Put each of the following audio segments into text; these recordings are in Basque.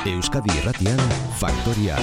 Euskadi Irratian, Faktoria.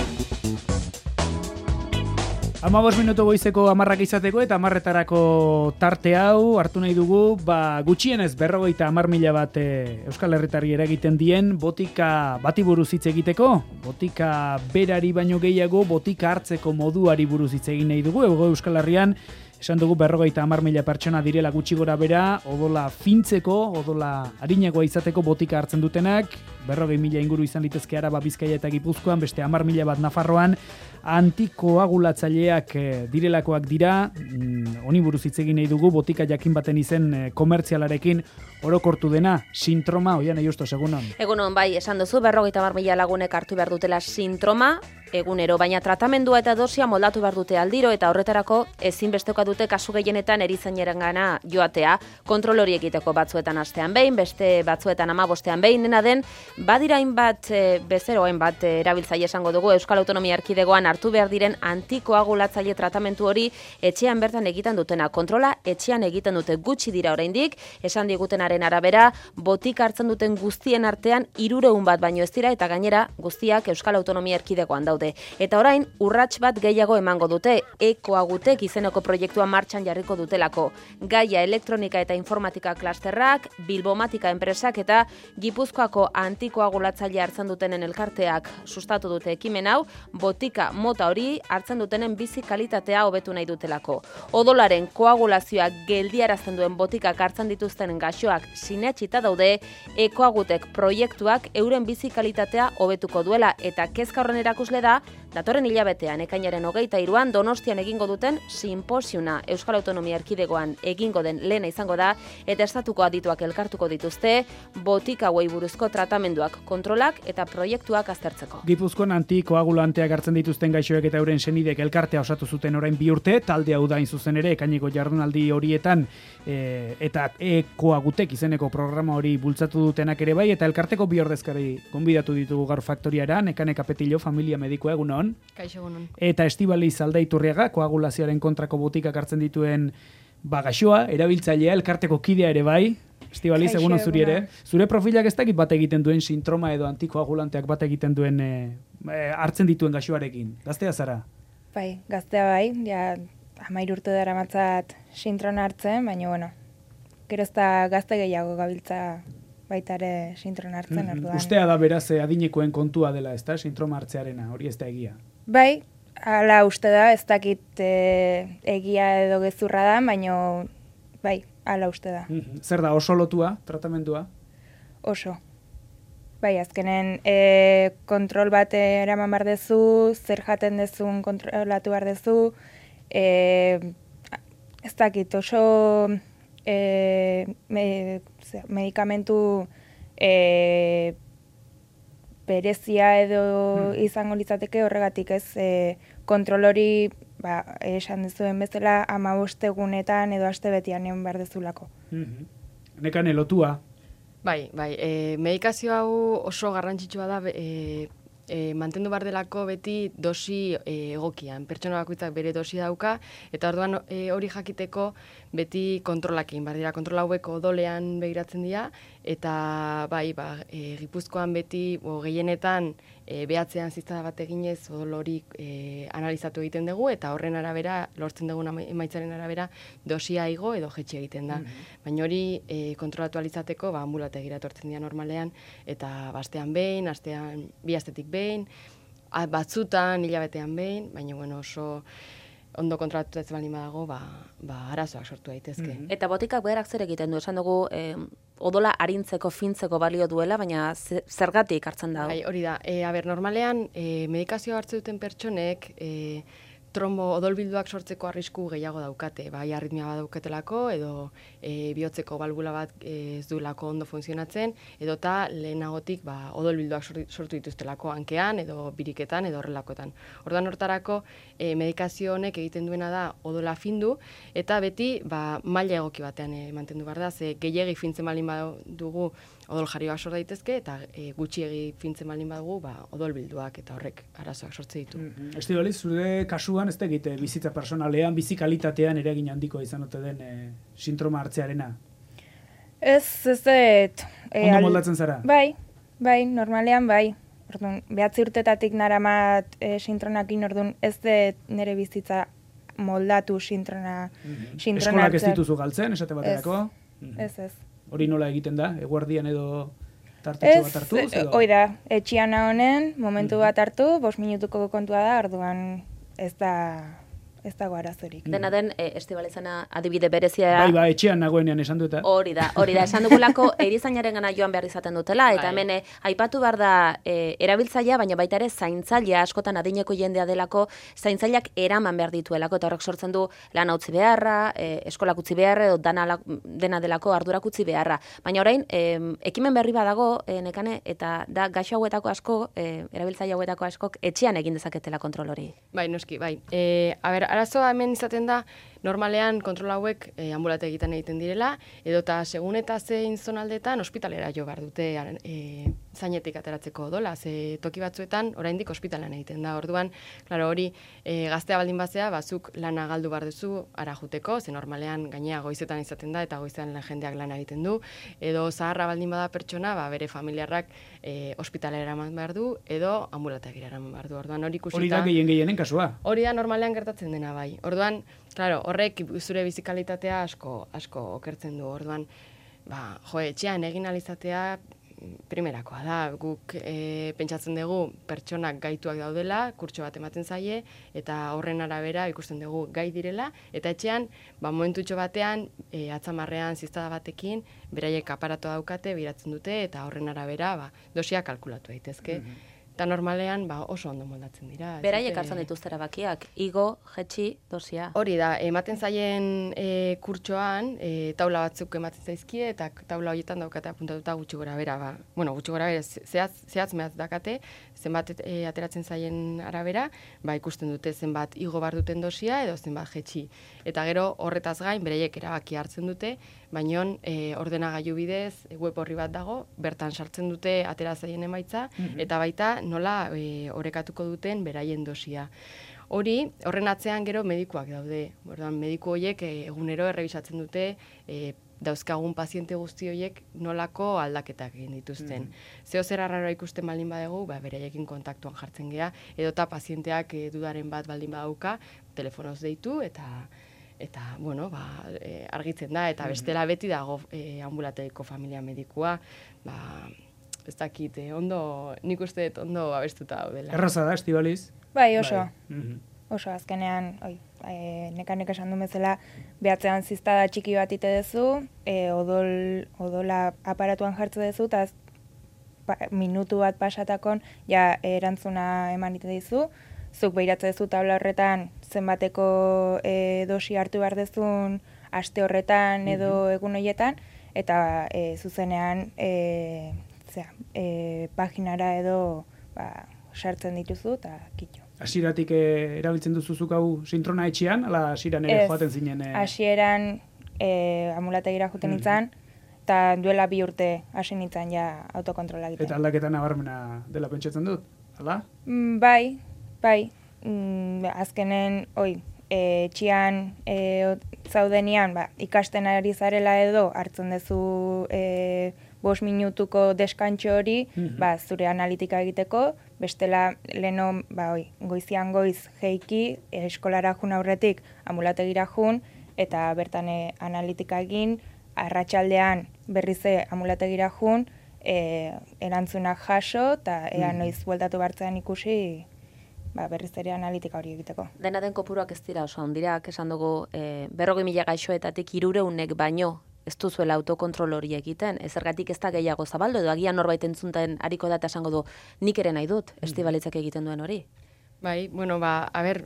15 minutu goizeko 10 izateko eta 10etarako tarte hau hartu nahi dugu, gutxienez 50.000 bat Euskal Herritarri eragiten dien botika bati buruz hitz egiteko, botika berari baino gehiago botika hartzeko moduari buruz hitz egin nahi dugu. Euskal Herrian esan dugu 50.000 pertsona direla gutxi gora bera, odola fintzeko, odola arinagoa izateko botika hartzen dutenak, 40.000 inguru izan litezke Araba, Bizkaia eta Gipuzkoan, beste 10.000 bat Nafarroan, antikoagulatzaileak direlakoak dira. Honi buruz hitz egin nahi dugu, botika jakin baten izen komertzialarekin orokortu dena, sintroma. Oian Justo, egunon. Egunon, bai, esan duzu, 50.000 lagunek hartu behar dutela sintroma, egunero, baina tratamendua eta dosia moldatu behar dute aldiro, eta horretarako ezinbestekoa dute kasu gehienetan erizainarengana joatea, kontrol hori egiteko batzuetan astean behin, beste batzuetan 15ean behin, dena den, badira hainbat bezero, hainbat erabiltzaile esango dugu Euskal Autonomia Erkidegoan hartu behar diren antikoagulatzaile tratamentu hori etxean bertan egiten dutena. Kontrola etxean egiten dute, gutxi dira oraindik, esan digutenaren arabera, botika hartzen duten guztien artean 300 bat baino ez dira, eta gainera guztiak Euskal Autonomia Erkidegoan daude. Eta orain, urrats bat gehiago emango dute, ekoagutek izeneko proiektua martxan jarriko dutelako. Gaia elektronika eta informatika klasterrak, Bilbomatika enpresak eta Gipuzkoako antikoagulatzaile hartzen dutenen elkarteak sustatu dute ekimen hau, botika mota hori hartzen dutenen bizi kalitatea hobetu nahi dutelako. Odolaren koagulazioa geldiarazten duen botikak hartzen dituzten gaixoak sinetsita daude, ekoagutek proiektuak euren bizi kalitatea hobetuko duela, eta kezka horren erakusle da datorren hilabetean ekainaren 23an Donostian egingo duten sinposiuna. Euskal Autonomia Erkidegoan egingo den lehena izango da, eta estatuko adituak elkartuko dituzte botika hauei buruzko tratamenduak, kontrolak eta proiektuak aztertzeko. Gipuzkoan antikoagulanteak hartzen dituzten gaixoek eta euren senidek elkartea osatu zuten orain 2 urte, talde hau da zuzen ere ekaineko jardunaldi horietan eta ekoagutek izeneko programa hori bultzatu dutenak ere bai, eta elkarteko 2 ordezkari gonbidatu ditugu gaur Faktoriara, Nekane Kapetillo, familia medikoa, egunon. Kaixo, egunon. Eta Estibaliz Aldaiturriaga, koagulazioaren kontrako botikak hartzen dituen gaixoa, erabiltzailea, elkarteko kidea ere bai. Estibaliz, egunon zuri ere. Zure profilak ez dakit bat egiten duen sintroma edo antikoagulanteak bat egiten duen hartzen dituen gaixoarekin. Gaztea zara? Bai, gaztea bai, ja 13 urte dara matzat sintrona hartzen, baina bueno, gero ez da gazte gehiago gabiltza baita ere sintrona hartzen. Orduan. Ustea da beraz adinekoen kontua dela, ezta, sintroma hartzearena, hori ez da egia. Bai, hala uste da, ez dakit egia edo gezurra da, baina bai, hala uste da. Zer da, oso lotua, tratamendua? Oso. Bai, azkenen kontrol bat eraman behar dezu, zer jaten dezun kontrolatu behar dezu, ez dakit, oso medikamentu berezia edo izango litzateke, horregatik ez kontrol hori esan dezuen bezala 15 egunetan edo astebetian egon behar dezulako. Nekane lotua? Bai, medikazio hau oso garrantzitsua da, mantendu behar delako beti dosi egokian. Pertsona bakoitzak bere dosi dauka, eta orduan hori jakiteko beti kontrolak egin behar dira. Kontrol hauek odolean begiratzen dira, eta bai, Gipuzkoan beti gehienetan behatzean ziztada bat eginez odol hori analizatu egiten dugu, eta horren arabera, lortzen dugun emaitzaren arabera, dosia igo edo jetxe egiten da. Baina hori kontrolatu alizateko, ambulategira etortzen dira normalean, eta astean behin, bi astetik behin, batzutan, hilabetean behin, baina oso ondo kontrolatu ez baldin badago, arazoak sortu daitezke. Eta botikak berak zer egiten du, esan dugu odola arintzeko, fintzeko balio duela, baina zergatik hartzen da? Hori da, normalean medikazio hartzen duten pertsonek trombo odolbilduak sortzeko arrisku gehiago daukate, bai arritmia bat dauketelako, edo bihotzeko balbula bat ez duelako ondo funtzionatzen, edo eta lehenagotik odolbilduak sortu dituztelako hankean, edo biriketan, edo horrelakoetan. Orduan hortarako medikazio honek egiten duena da odola findu, eta beti maila egoki batean mantendu behar da, ze gehiegi fintzen baldin badugu odol jarioak sor daitezke, eta gutxiegi fintzen baldin badugu odolbilduak, eta horrek arazoak sortze ditu. Estibaliz, zure kasuan ez da egite bizitza personalean, bizi kalitatean eragin handiko izan ote den sintroma hartzearena? Ez. Ondo moldatzen zara? Bai, normalean bai. Orduan, 9 urtetatik naramat sintronakin, orduan ez dut nire bizitza moldatu sintrona Eskolak ez dituzu galtzen, esate baterako? Ez. Hori nola egiten da? Eguerdian edo tartetxo bat hartu? Hoi da, etxian honen, momentu bat hartu, 5 minutuko kontua da, orduan ez dago arazorik. Dena den, Estibalizana adibide berezia... Bai, etxean nagoenean esan dut. Hori da, esan dugulako erizainaren gana joan behar izaten dutela, eta hemen aipatu behar da erabiltzailea, baina baita ere zaintzailea, askotan adineko jendea delako, zaintzaileak eraman behar dituelako, eta horrek sortzen du lan utzi beharra, eskolak utzi beharra, edo dena delako ardurak utzi beharra. Baina orain, ekimen berri badago, nekane, eta da gaixo hauetako asko, erabiltzaile hauetako askok, etxean egin dezaketela kontrol hori. Bai, noski, bai. Arazoa hemen izaten da, normalean kontrol hauek ambulategitan egiten direla, edota segun eta zein zonaldetan ospitalera jo behar dute zainetik ateratzeko odola, ze toki batzuetan oraindik ospitalan egiten da. Orduan, claro, hori gaztea baldin bazea, bazuk lana galdu behar duzu ara juteko, ze normalean gainea goizetan izaten da eta goizean jendeak lana egiten du, edo zaharra baldin bada pertsona, bere familiarrak ospitalera eraman behar du, edo ambulategira eraman behar du. Orduan, hori ikusita... Hori da gehienen kasua. Hori da normalean gertatzen dena bai. Orduan, claro, horrek zure bizikalitatea asko okertzen du. Orduan, etxean egin alizatea primerakoa da. Guk pentsatzen dugu pertsonak gaituak daudela, kurtso bat ematen zaie, eta horren arabera ikusten dugu gai direla, eta etxean, momentutxo batean, atzamarrean ziztada batekin, beraiek aparato daukate, biratzen dute, eta horren arabera dosia kalkulatu daitezke. Eta normalean oso ondo moldatzen dira. Beraiek hartzen dituzte erabakiak, igo, jetxi, dosia. Hori da, ematen zaien kurtsoan, taula batzuk ematen zaizkie, eta taula horietan daukate apuntatuta gutxi gora bera. Gutxi gora bera, zehatz mehaz dakate, zenbat ateratzen zaien arabera, ikusten dute zenbat igo bar duten dosia, edo zenbat jetxi. Eta gero horretaz gain, beraiek erabaki hartzen dute, baina ordenagailu bidez, web horri bat dago, bertan sartzen dute atera zaien emaitza, eta baita nola orekatuko duten beraien dosia. Horren atzean gero medikuak daude. Mediku horiek egunero errebisatzen dute dauzkagun paziente guzti horiek nolako aldaketak egin dituzten. Zeo zer arraroa ikusten baldin badegu, beraiekin kontaktuan jartzen gea, edota pazienteak dudaren bat baldin badauka, telefonoz deitu, eta argitzen da, eta bestela beti dago ambulategiko familia medikua, ez dakit, nik uste dut ondo abestuta daudela. Erraza da, Estibaliz? Bai, oso. Oso, azkenean, nekanek esan du bezala, behatzean ziztada txiki bat ite dezu, odola aparatuan jartze dezu, eta minutu bat pasatakon, erantzuna eman ite dizu, zuk behiratze dezu tabla horretan, zenbateko dosi hartu behar dezun, aste horretan edo egun horietan, eta zuzenean paginara edo sartzen dituzu eta kitxo. Hasieratik erabiltzen duzuzuk hau sintrona etxean, ala hasieran ere joaten zinen? Hasieran ambulategira joaten nintzen, eta duela 2 urte hasi nintzen autokontrola egiten. Eta aldaketa nabarmena dela pentsatzen dut, ala? Bai. Azkenen, etxean zaudenean, ikasten ari zarela edo hartzen duzu 5 minutuko deskantxo hori, zure analitika egiteko, bestela leno, goizian goiz jeiki, eskolara jun aurretik ambulategira jun, eta bertan analitika egin, arratsaldean berriz ambulategira jun, erantzunak jaso, eta ea noiz bueltatu bartzean ikusi, berriz ere analitika hori egiteko. Dena den kopuruak ez dira oso handirak, esan dugu 40.000 gaixoetatik 300 baino ez duzuela autokontrol hori egiten, ezergatik ez da gehiago zabaldu, edo agian norbait entzunten hariko da eta esango du, nik ere nahi dut, Estibalitzak egiten duen hori. Bai,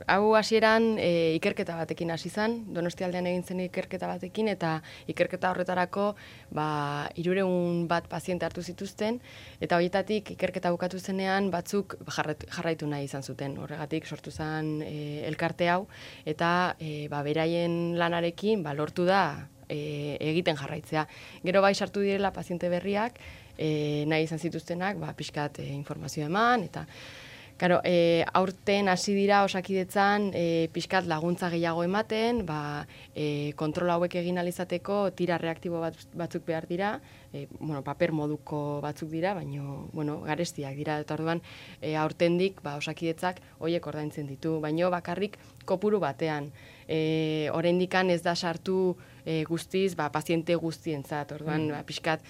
hau hasieran ikerketa batekin hasi zen, Donostialdean egin zen ikerketa batekin, eta ikerketa horretarako 300 bat paziente hartu zituzten, eta horietatik ikerketa bukatu zenean batzuk jarraitu nahi izan zuten. Horregatik sortu zen elkarte hau, eta beraien lanarekin lortu da egiten jarraitzea. Gero sartu direla paziente berriak, nahi izan zituztenak, pixkat informazioa eman, eta Karo, aurten hasi dira Osakidetzan pixkat laguntza gehiago ematen, kontrol hauek egin alizateko tira reaktibo batzuk behar dira, paper moduko batzuk dira, baina garestiak dira, eta orduan aurtendik Osakidetzak horiek ordaintzen ditu, baina bakarrik kopuru batean. Oraindikan ez da sartu guztiz, paziente guztientzat, orduan pixkat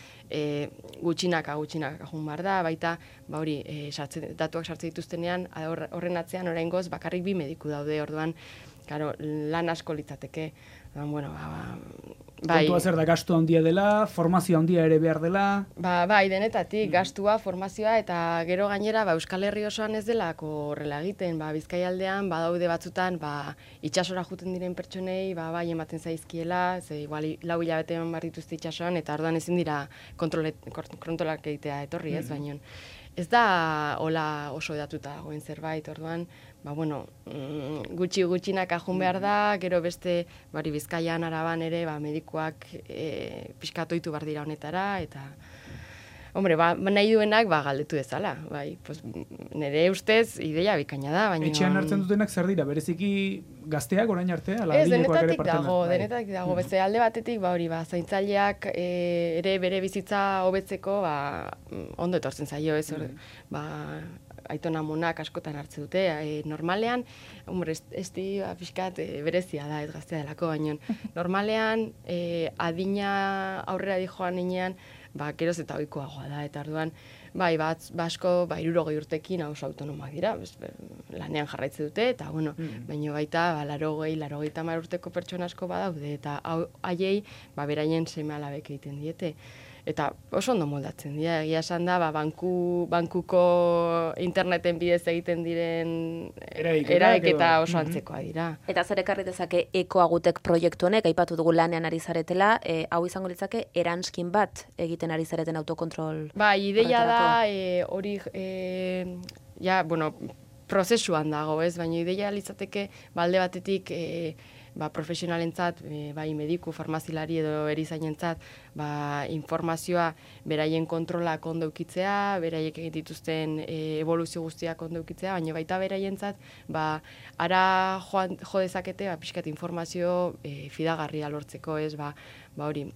gutxinaka jun behar da, baita datuak sartzen dituztenean, horren atzean oraingoz bakarrik 2 mediku daude, orduan lan asko litzateke. Kontua zer da, gastu handia dela, formazio handia ere behar dela? Bai, denetatik, gastua, formazioa, eta gero gainera Euskal Herri osoan ez delako horrela egiten. Bizkaialdean, badaude batzutan, itxasora juten diren pertsonei, bai ematen zaizkiela, ze igual 4 hilabete eman behar dituzte itxasoan, eta orduan ezin dira kontrolak egitea etorri ez, baina ez da hola oso edatuta dagoen zerbait, orduan, gutxinak ajun behar da, gero beste, Bizkaian, Araban ere, medikuak pixkatoitu behar dira honetara, eta, nahi duenak, galdetu dezala, nire ustez, ideia bikaina da, baina... Etxean hartzen dutenak zer dira, bereziki gazteak orain arte? Ez, denetatik dago, beste alde batetik, zaintzaileak ere bere bizitza hobetzeko, ondo etortzen zaio, ez, aitona amonak askotan hartzen dute. Normalean, pixkat berezia da, ez gaztea delako, baina normalean adina aurrera dijoan inean, geroz eta ohikoagoa da, eta orduan, asko 60 urtekin oso autonomak dira, lanean jarraitzen dute, eta baina baita 80 urteko pertsona asko badaude, eta haiei beraien seme-alabek egiten diete. Eta oso ondo moldatzen dira, egia esan da, bankuko interneten bidez egiten diren eraiketa oso antzekoa dira. Eta zer ekarri dezake ekoagutek proiektu honek, aipatu dugu lanean ari zaretela, hau izango litzake eranskin bat egiten ari zareten autokontrol. Ideia da, hori, prozesuan dago, ez, baina ideia litzateke, alde batetik, profesionalentzat, mediku, farmazilari edo erizainentzat, informazioa beraien kontrolak ondo eukitzea, beraiek egin dituzten evoluzio guztiak ondo eukitzea, baina baita beraientzat, ara jo dezakete, pixkat informazio fidagarria lortzeko, ez, hori,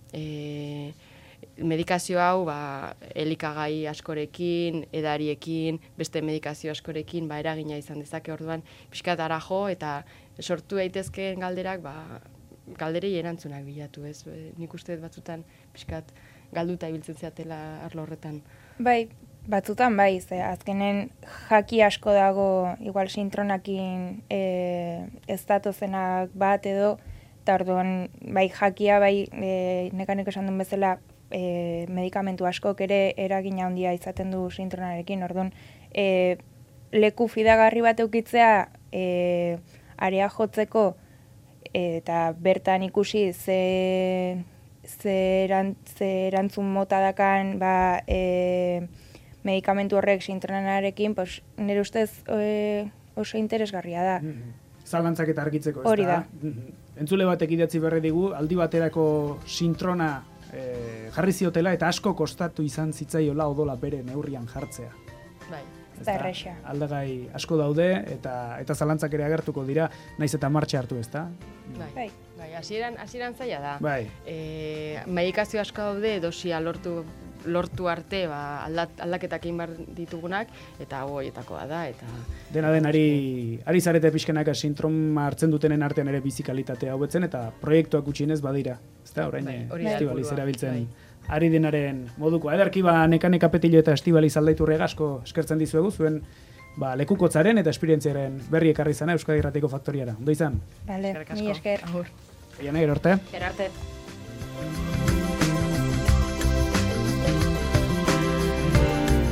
medikazio hau, elikagai askorekin, edariekin, beste medikazio askorekin, eragina izan dezake, orduan, pixkat ara jo, eta sortu daitezkeen galderak, galderei erantzunak bilatu, ez? Nik uste batzutan, pixkat, galduta ibiltzen zeatela arlo horretan. Bai, batzutan bai, ze azkenen jaki asko dago, igual sintronakin ez datozenak bat edo, eta orduan, jakia, nekanek esan duen bezala, medikamentu askok ere eragina handia izaten du sintronarekin, orduan, leku fidagarri bat eukitzea, area jotzeko eta bertan ikusi ze erantzun mota dakan medikamentu horrek sintronarekin, nire ustez oso interesgarria da. Zalantzak eta argitzeko, ez da? Hori da. Entzule batek idatzi berri digu, aldi baterako sintrona jarri ziotela eta asko kostatu izan zitzaiola odola bere neurrian jartzea. Bai. Aldagai asko daude eta zalantzak ere agertuko dira, naiz eta martxa hartu, ezta? Bai, hasieran zaila da. Bai. Medikazio asko daude, dosia lortu arte, aldaketak egin behar ditugunak, eta horietakoa da. Dena den, ari zarete pixkanaka sintroma hartzen dutenen artean ere bizikalitatea hobetzen, eta proiektuak gutxienez badira. Ezta, orain, Estibaliz erabiltzen. Ari denaren moduko. Ederki neka petilo eta Estibaliz aldaiturrega asko eskertzen dizuegu, zuen lekukotzaren eta esperientziaren berri ekarri zana Euskadi Irratiko Faktoriara. Ondo izan? Bale, mi esker. Iana, gero arte. Gero arte.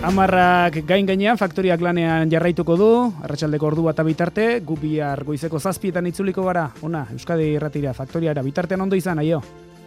Amarrak gainean Faktoriak lanean jarraituko du, arratsaldeko ordu bat bitarte, gu bihar goizeko 7 itzuliko gara, Euskadi Irratira Faktoriara, bitartean ondo izan, aio.